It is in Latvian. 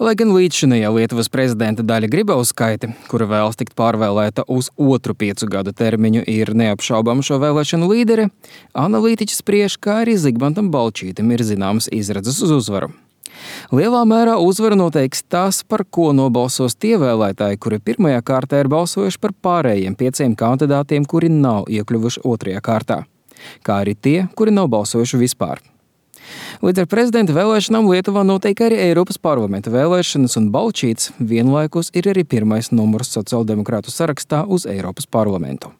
Lai gan līdzšinējā Lietuvas prezidenta Daļa Grybauskaite, kura vēlas tikt pārvēlēta uz otru 5 gadu termiņu, ir neapšaubama šo vēlēšanu līdere, analītiķi spriež, kā arī Zigmantam Balčītim ir zināmas izredzes uz uzvaru. Lielā mērā uzvaru noteiks tas, par ko nobalsos tie vēlētāji, kuri pirmajā kārtā ir balsojuši par pārējiem 5 kandidātiem, kuri nav iekļuvuši otrajā kārtā, kā arī tie, kuri nav balsojuši vispār. Līdz ar prezidenta vēlēšanām Lietuvā notiek arī Eiropas parlamenta vēlēšanas, un Balčīts vienlaikus ir arī pirmais numurs sociāldemokrātu sarakstā uz Eiropas parlamentu.